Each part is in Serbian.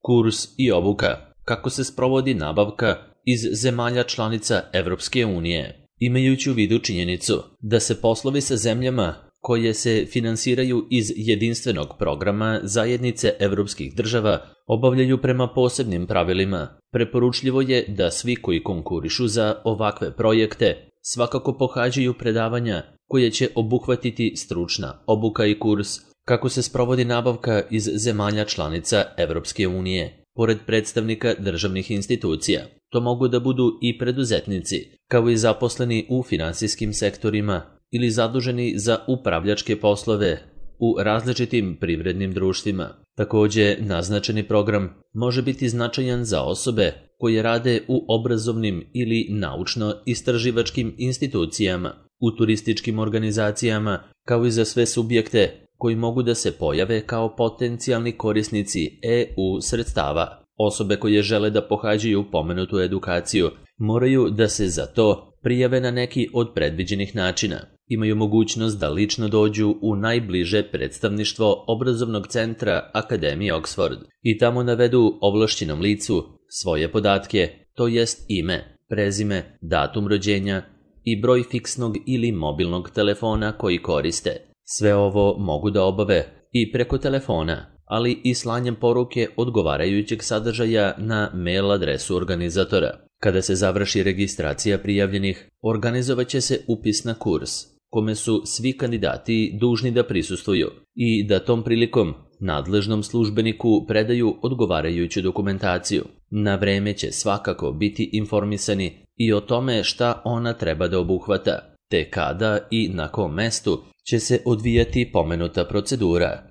Kurs i obuka. Kako se sprovodi nabavka iz zemalja članica Evropske unije. Imajući u vidu činjenicu da se poslovi sa zemljama koje se finansiraju iz jedinstvenog programa zajednice evropskih država obavljaju prema posebnim pravilima, preporučljivo je da svi koji konkurišu za ovakve projekte svakako pohađaju predavanja koje će obuhvatiti stručna obuka i kurs kako se sprovodi nabavka iz zemalja članica Evropske unije. Pored predstavnika državnih institucija, to mogu da budu i preduzetnici, kao i zaposleni u finansijskim sektorima ili zaduženi za upravljačke poslove u različitim privrednim društvima. Takođe, naznačeni program može biti značajan za osobe koje rade u obrazovnim ili naučno-istraživačkim institucijama, u turističkim organizacijama, kao i za sve subjekte koji mogu da se pojave kao potencijalni korisnici EU sredstava. Osobe koje žele da pohađaju pomenutu edukaciju moraju da se za to prijave na neki od predviđenih načina. Imaju mogućnost da lično dođu u najbliže predstavništvo obrazovnog centra Akademije Oxford i tamo navedu ovlašćenom licu svoje podatke, to jest ime, prezime, datum rođenja i broj fiksnog ili mobilnog telefona koji koriste. Sve ovo mogu da obave i preko telefona, ali i slanjem poruke odgovarajućeg sadržaja na mail adresu organizatora. Kada se završi registracija prijavljenih, organizovat će se upis na kurs, kome su svi kandidati dužni da prisustvuju i da tom prilikom nadležnom službeniku predaju odgovarajuću dokumentaciju. Na vreme će svakako biti informisani i o tome šta ona treba da obuhvata, te kada i na kom mestu će se odvijati pomenuta procedura.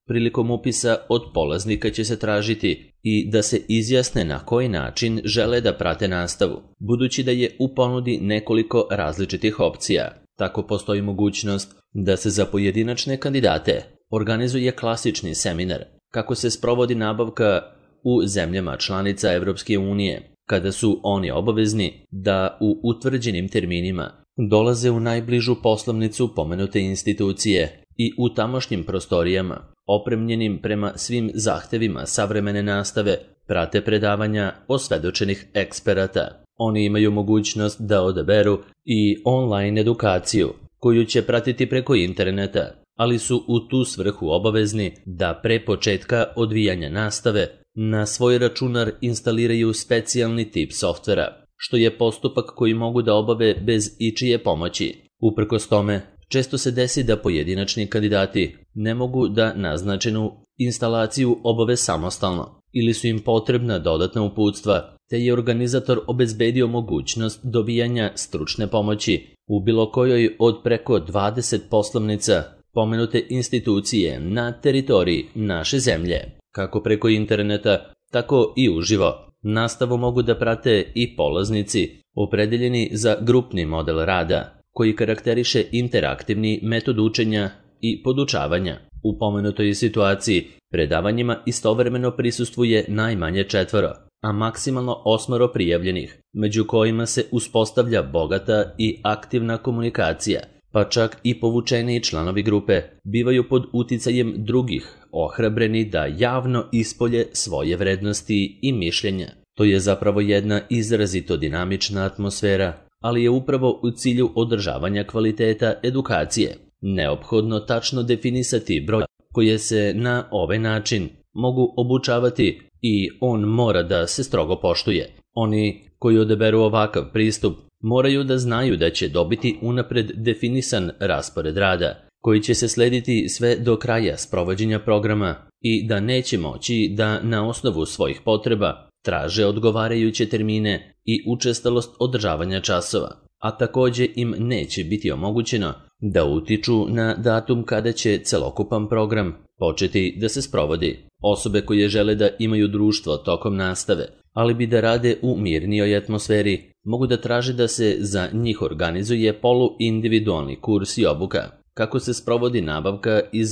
Prilikom upisa od polaznika će se tražiti i da se izjasne na koji način žele da prate nastavu, budući da je u ponudi nekoliko različitih opcija. Tako postoji mogućnost da se za pojedinačne kandidate organizuje klasični seminar kako se sprovodi nabavka u zemljama članica Evropske unije, kada su oni obavezni da u utvrđenim terminima dolaze u najbližu poslovnicu pomenute institucije i u tamošnjim prostorijama, opremljenim prema svim zahtevima savremene nastave, prate predavanja osvedočenih eksperata. Oni imaju mogućnost da odaberu i online edukaciju, koju će pratiti preko interneta, ali su u tu svrhu obavezni da pre početka odvijanja nastave na svoj računar instaliraju specijalni tip softvera, što je postupak koji mogu da obave bez ičije pomoći. Uprkos tome, često se desi da pojedinačni kandidati ne mogu da naznačenu instalaciju obave samostalno ili su im potrebna dodatna uputstva, te je organizator obezbedio mogućnost dobijanja stručne pomoći u bilo kojoj od preko 20 poslovnica pomenute institucije na teritoriji naše zemlje. Kako preko interneta, tako i uživo. Nastavu mogu da prate i polaznici opredeljeni za grupni model rada, koji karakteriše interaktivni metod učenja i podučavanja. U pomenutoj situaciji predavanjima istovremeno prisustvuje najmanje 4, a maksimalno 8 prijavljenih, među kojima se uspostavlja bogata i aktivna komunikacija, pa čak i povučeni članovi grupe bivaju pod uticajem drugih ohrabreni da javno ispolje svoje vrednosti i mišljenja. To je zapravo jedna izrazito dinamična atmosfera, ali je upravo u cilju održavanja kvaliteta edukacije neophodno tačno definisati broj koje se na ovaj način mogu obučavati i on mora da se strogo poštuje. Oni koji odaberu ovakav pristup moraju da znaju da će dobiti unapred definisan raspored rada, koji će se slediti sve do kraja sprovođenja programa i da neće moći da na osnovu svojih potreba traže odgovarajuće termine i učestalost održavanja časova, a takođe im neće biti omogućeno da utiču na datum kada će celokupan program početi da se sprovodi. Osobe koje žele da imaju društvo tokom nastave, ali bi da rade u mirnijoj atmosferi, mogu da traže da se za njih organizuje poluindividualni kurs i obuka, kako se sprovodi nabavka iz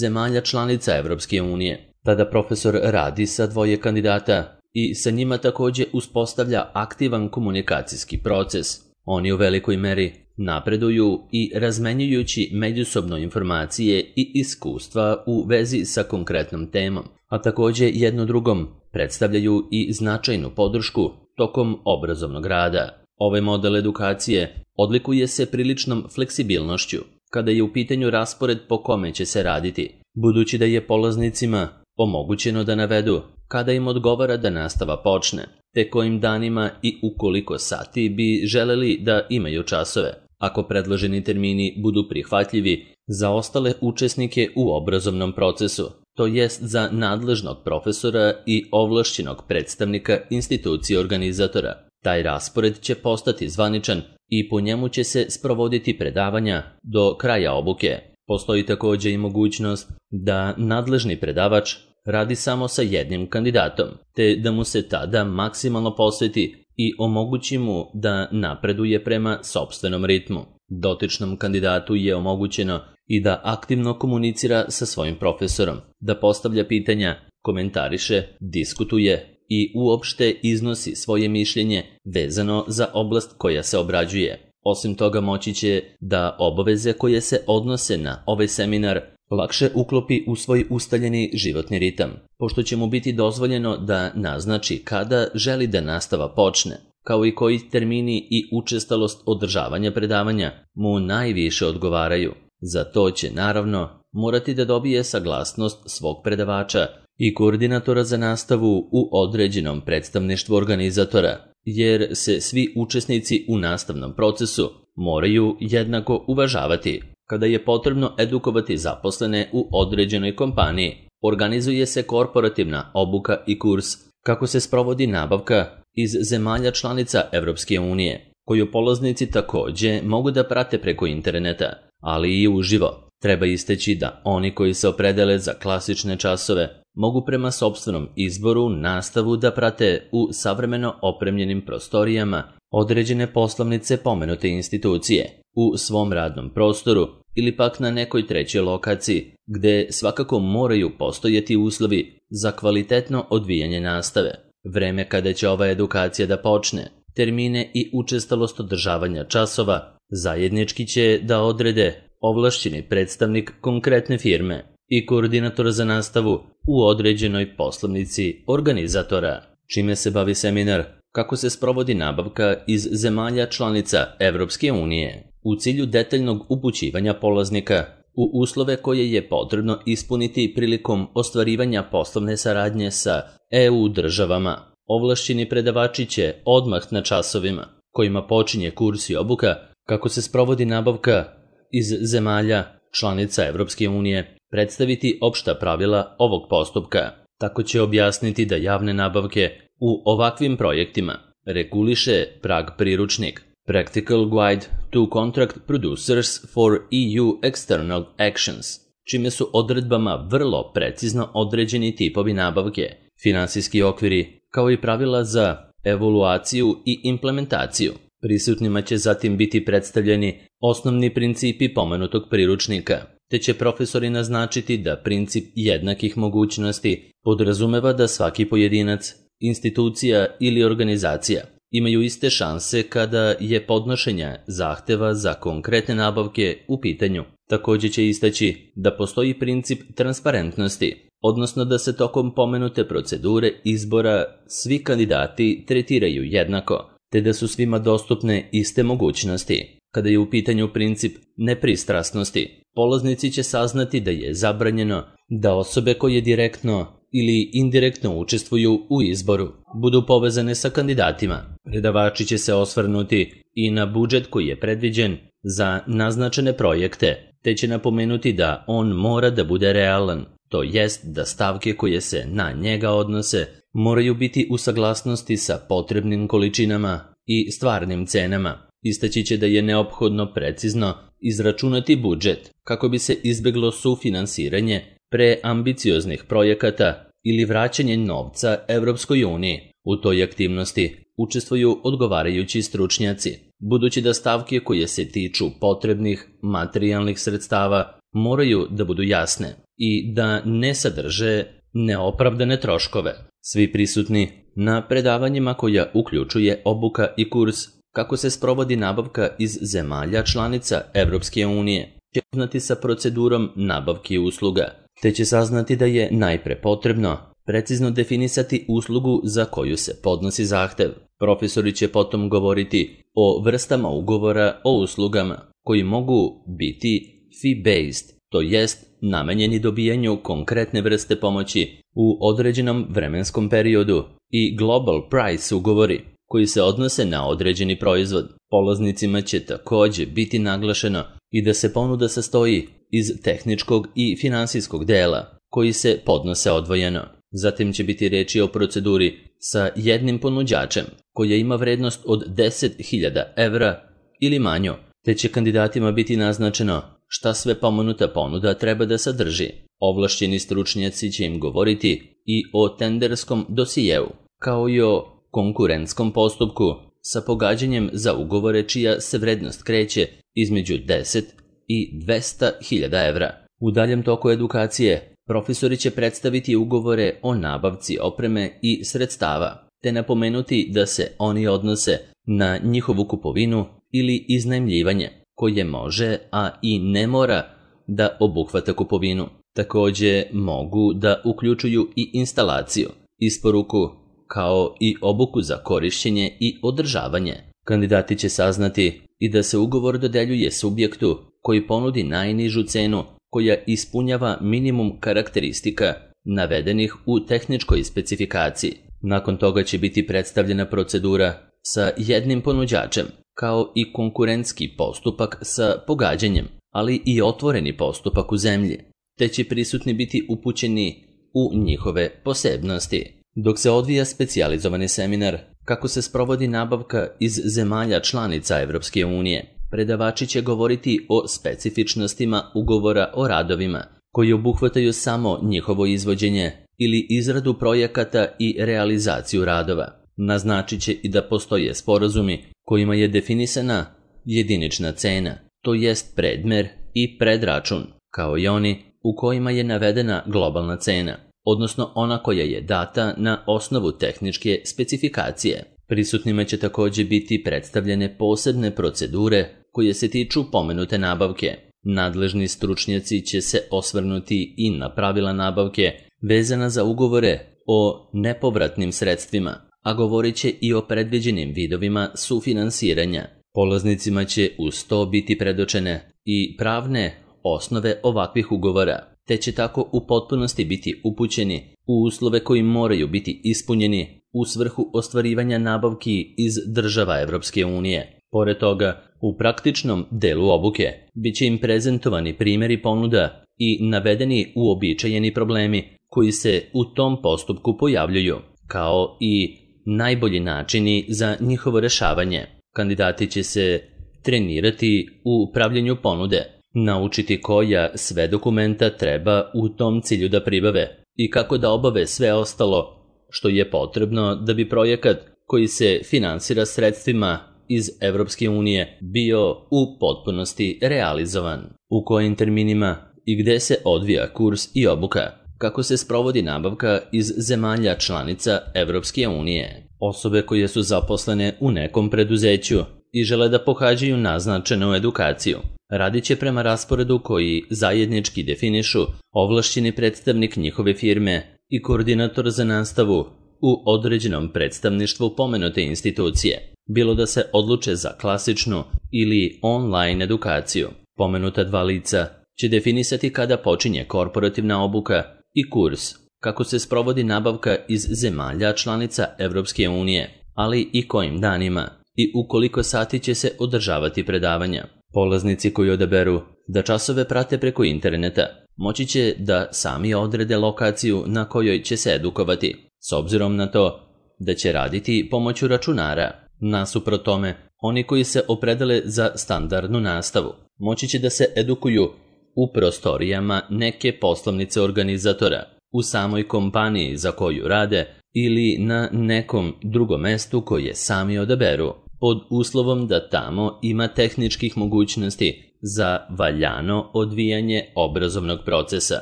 zemalja članica Evropske unije. Tada profesor radi sa 2 kandidata i sa njima takođe uspostavlja aktivan komunikacijski proces. Oni u velikoj meri napreduju i razmenjujući međusobno informacije i iskustva u vezi sa konkretnom temom, a takođe jedno drugom predstavljaju i značajnu podršku tokom obrazovnog rada. Ovaj model edukacije odlikuje se priličnom fleksibilnošću kada je u pitanju raspored po kome će se raditi, budući da je polaznicima omogućeno da navedu kada im odgovara da nastava počne, te kojim danima i u koliko sati bi želeli da imaju časove, ako predloženi termini budu prihvatljivi za ostale učesnike u obrazovnom procesu, to jest za nadležnog profesora i ovlašćenog predstavnika institucije organizatora. Taj raspored će postati zvaničan i po njemu će se sprovoditi predavanja do kraja obuke. Postoji također i mogućnost da nadležni predavač radi samo sa jednim kandidatom, te da mu se tada maksimalno posveti i omogući mu da napreduje prema sopstvenom ritmu. Dotičnom kandidatu je omogućeno i da aktivno komunicira sa svojim profesorom, da postavlja pitanja, komentariše, diskutuje i uopšte iznosi svoje mišljenje vezano za oblast koja se obrađuje. Osim toga moći će da obaveze koje se odnose na ovaj seminar lakše uklopi u svoj ustaljeni životni ritam, pošto će mu biti dozvoljeno da naznači kada želi da nastava počne, kao i koji termini i učestalost održavanja predavanja mu najviše odgovaraju. Za to će naravno morati da dobije saglasnost svog predavača i koordinatora za nastavu u određenom predstavništvu organizatora, jer se svi učesnici u nastavnom procesu moraju jednako uvažavati. Kada je potrebno edukovati zaposlene u određenoj kompaniji, organizuje se korporativna obuka i kurs kako se sprovodi nabavka iz zemalja članica Evropske unije, koju polaznici također mogu da prate preko interneta, ali i uživo. Treba istaći da oni koji se opredele za klasične časove mogu prema sopstvenom izboru nastavu da prate u savremeno opremljenim prostorijama određene poslovnice pomenute institucije, u svom radnom prostoru ili pak na nekoj trećoj lokaciji, gde svakako moraju postojati uslovi za kvalitetno odvijanje nastave. Vreme kada će ova edukacija da počne, termine i učestalost održavanja časova zajednički će da odrede ovlašćeni predstavnik konkretne firme i koordinator za nastavu u određenoj poslovnici organizatora. Čime se bavi seminar? Kako se sprovodi nabavka iz zemalja članica Evropske unije, u cilju detaljnog upućivanja polaznika u uslove koje je potrebno ispuniti prilikom ostvarivanja poslovne saradnje sa EU državama. Ovlašćeni predavači će odmah na časovima kojima počinje kurs i obuka kako se sprovodi nabavka iz zemalja članica Evropske unije predstaviti opšta pravila ovog postupka. Tako će objasniti da javne nabavke u ovakvim projektima reguliše prag priručnik Practical Guide to Contract Producers for EU External Actions, čime su odredbama vrlo precizno određeni tipovi nabavke, finansijski okviri, kao i pravila za evaluaciju i implementaciju. Prisutnima će zatim biti predstavljeni osnovni principi pomenutog priručnika, te će profesori naznačiti da princip jednakih mogućnosti podrazumeva da svaki pojedinac, institucija ili organizacija imaju iste šanse kada je podnošenje zahteva za konkretne nabavke u pitanju. Također će istaći da postoji princip transparentnosti, odnosno da se tokom pomenute procedure izbora svi kandidati tretiraju jednako, te da su svima dostupne iste mogućnosti. Kada je u pitanju princip nepristrasnosti, polaznici će saznati da je zabranjeno da osobe koje direktno ili indirektno učestvuju u izboru budu povezane sa kandidatima. Predavači će se osvrnuti i na budžet koji je predviđen za naznačene projekte, te će napomenuti da on mora da bude realan, to jest da stavke koje se na njega odnose moraju biti u saglasnosti sa potrebnim količinama i stvarnim cenama. Istaći će da je neophodno precizno izračunati budžet kako bi se izbeglo sufinansiranje preambicioznih projekata ili vraćanje novca Evropskoj uniji. U toj aktivnosti učestvuju odgovarajući stručnjaci, budući da stavke koje se tiču potrebnih materijalnih sredstava moraju da budu jasne i da ne sadrže neopravdane troškove. Svi prisutni na predavanjima koja uključuje obuka i kurs kako se sprovodi nabavka iz zemalja članica Evropske unije će upoznati sa procedurom nabavki usluga, te će saznati da je najpre potrebno precizno definisati uslugu za koju se podnosi zahtev. Profesori će potom govoriti o vrstama ugovora o uslugama koji mogu biti fee-based, to jest namenjeni dobijanju konkretne vrste pomoći u određenom vremenskom periodu, i global price ugovori koji se odnose na određeni proizvod. Polaznicima će također biti naglašeno i da se ponuda sastoji iz tehničkog i finansijskog dela koji se podnose odvojeno. Zatim će biti reči o proceduri sa jednim ponuđačem koja ima vrednost od 10.000 evra ili manju, te će kandidatima biti naznačeno šta sve pomenuta ponuda treba da sadrži. Ovlašćeni stručnjaci će im govoriti i o tenderskom dosijeu, kao i o konkurentskom postupku sa pogađanjem za ugovore čija se vrednost kreće između 10 i 200.000 evra. U daljem toku edukacije profesori će predstaviti ugovore o nabavci opreme i sredstava, te napomenuti da se oni odnose na njihovu kupovinu ili iznajmljivanje, koje može, a i ne mora da obuhvata kupovinu. Također mogu da uključuju i instalaciju, isporuku, kao i obuku za korišćenje i održavanje. Kandidati će saznati i da se ugovor dodeljuje subjektu koji ponudi najnižu cenu koja ispunjava minimum karakteristika navedenih u tehničkoj specifikaciji. Nakon toga će biti predstavljena procedura sa jednim ponuđačem, kao i konkurentski postupak sa pogađanjem, ali i otvoreni postupak u zemlji, te će prisutni biti upućeni u njihove posebnosti. Dok se odvija specijalizovani seminar kako se sprovodi nabavka iz zemalja članica Evropske unije, predavači će govoriti o specifičnostima ugovora o radovima, koji obuhvataju samo njihovo izvođenje ili izradu projekata i realizaciju radova. Naznačit će i da postoje sporazumi kojima je definisana jedinična cena, to jest predmer i predračun, kao i oni u kojima je navedena globalna cena, odnosno ona koja je data na osnovu tehničke specifikacije. Prisutnima će također biti predstavljene posebne procedure koje se tiču pomenute nabavke. Nadležni stručnjaci će se osvrnuti i na pravila nabavke vezana za ugovore o nepovratnim sredstvima, a govorit će i o predviđenim vidovima sufinansiranja. Polaznicima će uz to biti predočene i pravne osnove ovakvih ugovora, te će tako u potpunosti biti upućeni u uslove koji moraju biti ispunjeni u svrhu ostvarivanja nabavki iz država Evropske unije. Pored toga, u praktičnom delu obuke bit će im prezentovani primjeri ponuda i navedeni uobičajeni problemi koji se u tom postupku pojavljuju, kao i najbolji načini za njihovo rešavanje. Kandidati će se trenirati u pravljenju ponude, naučiti koja sve dokumenta treba u tom cilju da pribave i kako da obave sve ostalo što je potrebno da bi projekat koji se finansira sredstvima iz Evropske unije bio u potpunosti realizovan. U kojim terminima i gde se odvija kurs i obuka, kako se sprovodi nabavka iz zemalja članica Evropske unije. Osobe koje su zaposlene u nekom preduzeću i žele da pohađaju naznačenu edukaciju, radit će prema rasporedu koji zajednički definišu ovlašćeni predstavnik njihove firme i koordinator za nastavu u određenom predstavništvu pomenute institucije, bilo da se odluče za klasičnu ili online edukaciju. Pomenuta dva lica će definisati kada počinje korporativna obuka i kurs, kako se sprovodi nabavka iz zemalja članica Evropske unije, ali i kojim danima i u koliko sati će se održavati predavanja. Polaznici koji odaberu da časove prate preko interneta moći će da sami odrede lokaciju na kojoj će se edukovati, s obzirom na to da će raditi pomoću računara. Nasuprot tome, oni koji se opredele za standardnu nastavu moći će da se edukuju u prostorijama neke poslovnice organizatora, u samoj kompaniji za koju rade ili na nekom drugom mestu koje sami odaberu, pod uslovom da tamo ima tehničkih mogućnosti za valjano odvijanje obrazovnog procesa.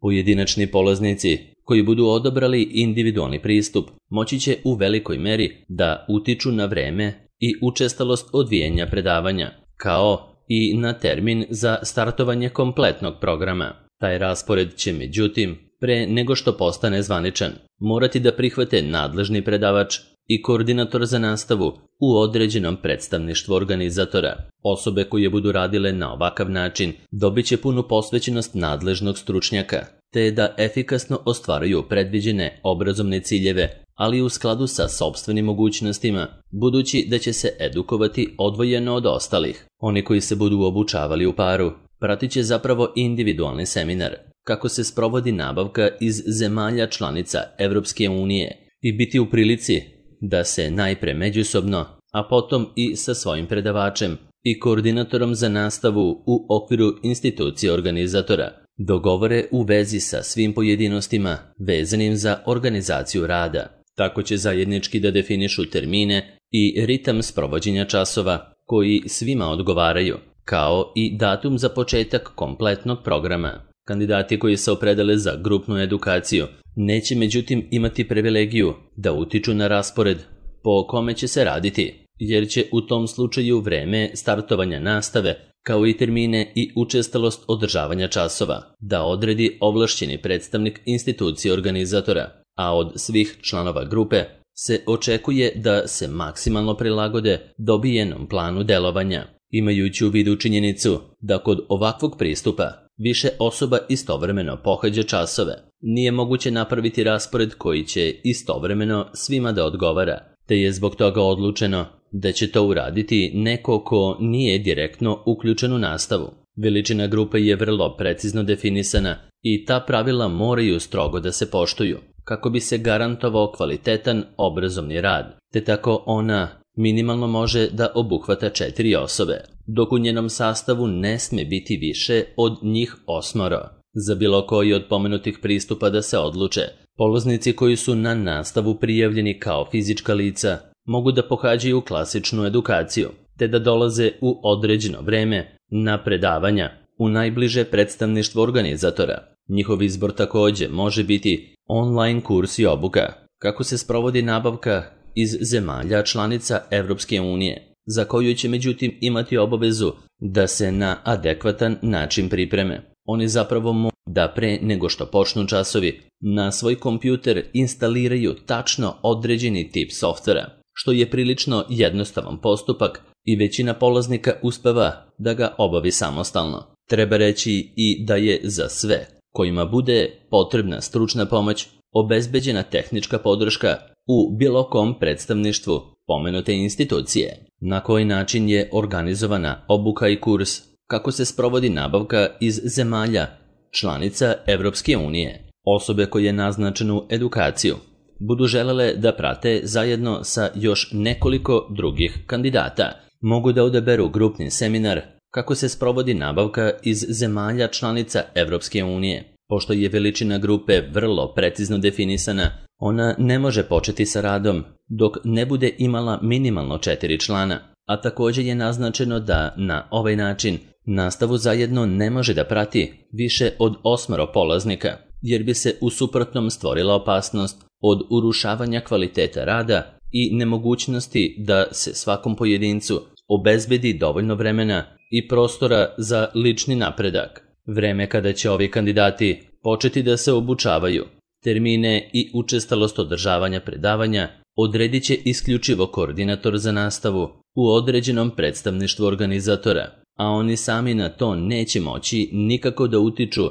Pojedinačni polaznici koji budu odabrali individualni pristup moći će u velikoj meri da utiču na vreme i učestalost odvijanja predavanja, kao i na termin za startovanje kompletnog programa. Taj raspored će međutim pre nego što postane zvaničan, morati da prihvate nadležni predavač i koordinator za nastavu u određenom predstavništvu organizatora. Osobe koje budu radile na ovakav način dobit će punu posvećenost nadležnog stručnjaka, te da efikasno ostvaruju predviđene obrazovne ciljeve, ali u skladu sa sopstvenim mogućnostima, budući da će se edukovati odvojeno od ostalih. Oni koji se budu obučavali u paru pratit će zapravo individualni seminar, kako se sprovodi nabavka iz zemalja članica Evropske unije i biti u prilici da se najpre međusobno, a potom i sa svojim predavačem i koordinatorom za nastavu u okviru institucije organizatora dogovore u vezi sa svim pojedinostima vezanim za organizaciju rada. Tako će zajednički da definišu termine i ritam sprovođenja časova koji svima odgovaraju, kao i datum za početak kompletnog programa. Kandidati koji se opredele za grupnu edukaciju neće međutim imati privilegiju da utiču na raspored po kome će se raditi, jer će u tom slučaju vreme startovanja nastave, kao i termine i učestalost održavanja časova, da odredi ovlašćeni predstavnik institucije organizatora, a od svih članova grupe se očekuje da se maksimalno prilagode dobijenom planu delovanja, imajući u vidu činjenicu da kod ovakvog pristupa više osoba istovremeno pohađa časove. Nije moguće napraviti raspored koji će istovremeno svima da odgovara, te je zbog toga odlučeno da će to uraditi neko ko nije direktno uključen u nastavu. Veličina grupe je vrlo precizno definisana i ta pravila moraju strogo da se poštuju, kako bi se garantovao kvalitetan obrazovni rad, te tako ona minimalno može da obuhvata 4 osobe, dok u njenom sastavu ne sme biti više od njih 8. Za bilo koji od pomenutih pristupa da se odluče, polaznici koji su na nastavu prijavljeni kao fizička lica mogu da pohađaju klasičnu edukaciju, te da dolaze u određeno vreme na predavanja u najbliže predstavništvo organizatora. Njihov izbor takođe može biti online kurs i obuka, kako se sprovodi nabavka iz zemalja članica Evropske unije, za koju će međutim imati obavezu da se na adekvatan način pripreme. Oni zapravo mogu da pre nego što počnu časovi na svoj kompjuter instaliraju tačno određeni tip softvera, što je prilično jednostavan postupak i većina polaznika uspeva da ga obavi samostalno. Treba reći i da je za sve kojima bude potrebna stručna pomoć obezbeđena tehnička podrška u bilo kom predstavništvu pomenute institucije. Na koji način je organizovana obuka i kurs, kako se sprovodi nabavka iz zemalja članica Evropske unije. Osobe koje naznačenu edukaciju budu želele da prate zajedno sa još nekoliko drugih kandidata, mogu da odaberu grupni seminar kako se sprovodi nabavka iz zemalja članica Evropske unije. Pošto je veličina grupe vrlo precizno definisana, ona ne može početi sa radom dok ne bude imala minimalno 4 člana, a također je naznačeno da na ovaj način nastavu zajedno ne može da prati više od 8 polaznika, jer bi se u suprotnom stvorila opasnost od urušavanja kvaliteta rada i nemogućnosti da se svakom pojedincu obezbedi dovoljno vremena i prostora za lični napredak. Vreme kada će ovi kandidati početi da se obučavaju, termine i učestalost održavanja predavanja odredit će isključivo koordinator za nastavu u određenom predstavništvu organizatora, a oni sami na to neće moći nikako da utiču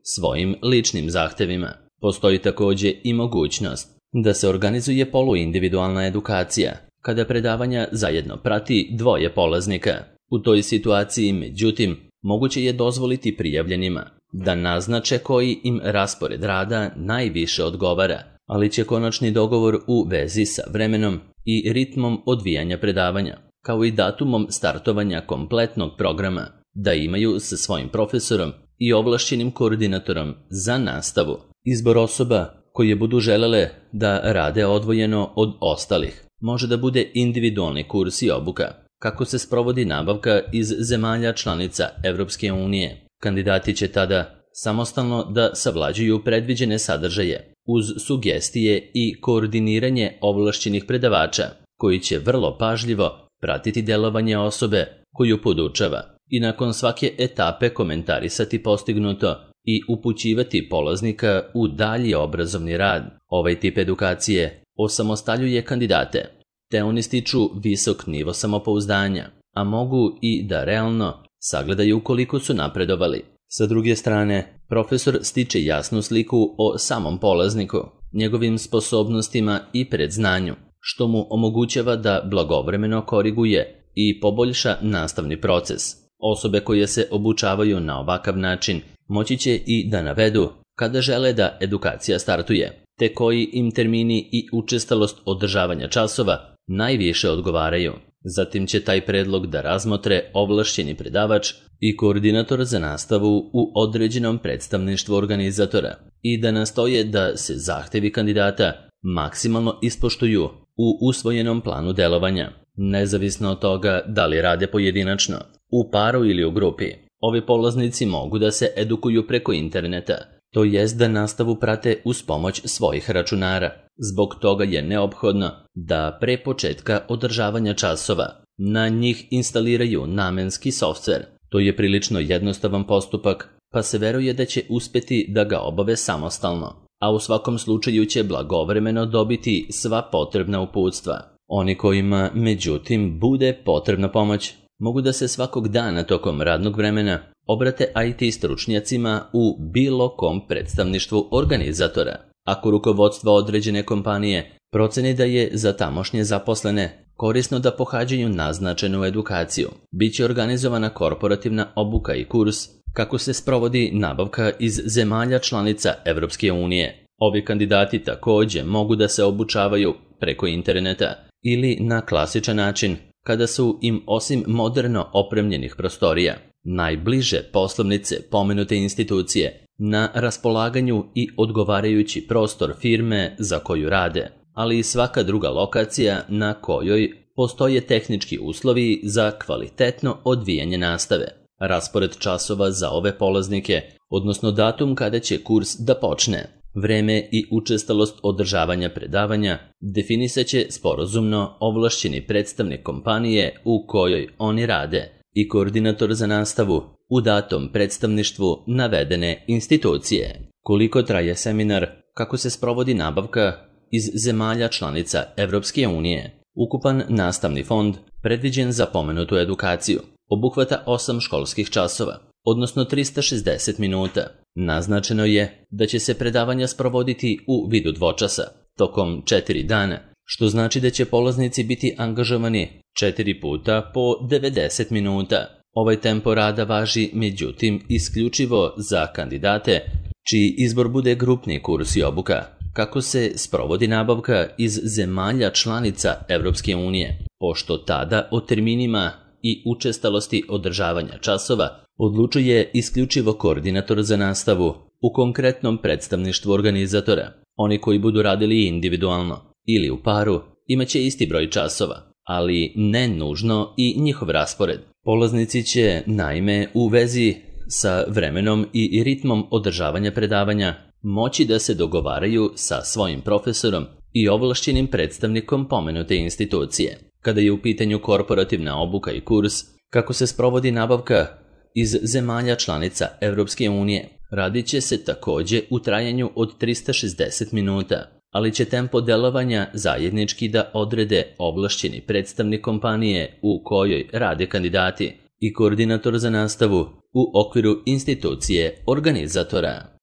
svojim ličnim zahtevima. Postoji također i mogućnost da se organizuje poluindividualna edukacija, kada predavanja zajedno prati 2 polaznika. U toj situaciji, međutim, moguće je dozvoliti prijavljenima da naznače koji im raspored rada najviše odgovara, ali će konačni dogovor u vezi sa vremenom i ritmom odvijanja predavanja, kao i datumom startovanja kompletnog programa, da imaju sa svojim profesorom i ovlašćenim koordinatorom za nastavu. Izbor osoba koje budu želele da rade odvojeno od ostalih može da bude individualni kurs i obuka, kako se sprovodi nabavka iz zemalja članica Evropske unije. Kandidati će tada samostalno da savlađuju predviđene sadržaje uz sugestije i koordiniranje ovlašćenih predavača, koji će vrlo pažljivo pratiti delovanje osobe koju podučava i nakon svake etape komentarisati postignuto i upućivati polaznika u dalji obrazovni rad. Ovaj tip edukacije osamostaljuje kandidate, te oni stiču visok nivo samopouzdanja, a mogu i da realno sagledaju koliko su napredovali. Sa druge strane, profesor stiče jasnu sliku o samom polazniku, njegovim sposobnostima i predznanju, što mu omogućava da blagovremeno koriguje i poboljša nastavni proces. Osobe koje se obučavaju na ovakav način moći će i da navedu kada žele da edukacija startuje, te koji im termini i učestalost održavanja časova najviše odgovaraju. Zatim će taj predlog da razmotre ovlašćeni predavač i koordinator za nastavu u određenom predstavništvu organizatora i da nastoje da se zahtevi kandidata maksimalno ispoštuju u usvojenom planu delovanja, nezavisno od toga da li rade pojedinačno, u paru ili u grupi. Ovi polaznici mogu da se edukuju preko interneta, to jest da nastavu prate uz pomoć svojih računara. Zbog toga je neophodno da pre početka održavanja časova na njih instaliraju namenski softver. To je prilično jednostavan postupak, pa se veruje da će uspeti da ga obave samostalno, a u svakom slučaju će blagovremeno dobiti sva potrebna uputstva. Oni kojima, međutim, bude potrebna pomoć, mogu da se svakog dana tokom radnog vremena obrate IT stručnjacima u bilo kom predstavništvu organizatora. Ako rukovodstvo određene kompanije proceni da je za tamošnje zaposlene korisno da pohađaju naznačenu edukaciju, bit će organizovana korporativna obuka i kurs kako se sprovodi nabavka iz zemalja članica Evropske unije. Ovi kandidati također mogu da se obučavaju preko interneta ili na klasičan način kada su im osim moderno opremljenih prostorija najbliže poslovnice pomenute institucije na raspolaganju i odgovarajući prostor firme za koju rade, ali i svaka druga lokacija na kojoj postoje tehnički uslovi za kvalitetno odvijanje nastave. Raspored časova za ove polaznike, odnosno datum kada će kurs da počne, vreme i učestalost održavanja predavanja definisat će sporazumno ovlašćeni predstavnik kompanije u kojoj oni rade i koordinator za nastavu u datom predstavništvu navedene institucije. Koliko traje seminar, kako se sprovodi nabavka iz zemalja članica Evropske unije. Ukupan nastavni fond predviđen za pomenutu edukaciju obuhvata 8 školskih časova, odnosno 360 minuta. Naznačeno je da će se predavanja sprovoditi u vidu dvočasa, tokom 4 dana, što znači da će polaznici biti angažovani 4 puta po 90 minuta. Ovaj tempo rada važi, međutim, isključivo za kandidate čiji izbor bude grupni kurs i obuka. Kako se sprovodi nabavka iz zemalja članica Evropske unije, pošto tada o terminima i učestalosti održavanja časova odlučuje isključivo koordinator za nastavu u konkretnom predstavništvu organizatora. Oni koji budu radili individualno ili u paru imaće isti broj časova, ali ne nužno i njihov raspored. Polaznici će, naime, u vezi sa vremenom i ritmom održavanja predavanja moći da se dogovaraju sa svojim profesorom i ovlašćenim predstavnikom pomenute institucije. Kada je u pitanju korporativna obuka i kurs, kako se sprovodi nabavka iz zemalja članica Evropske unije, radit će se također u trajanju od 360 minuta, ali će tempo delovanja zajednički da odrede ovlašćeni predstavnik kompanije u kojoj rade kandidati i koordinator za nastavu u okviru institucije organizatora.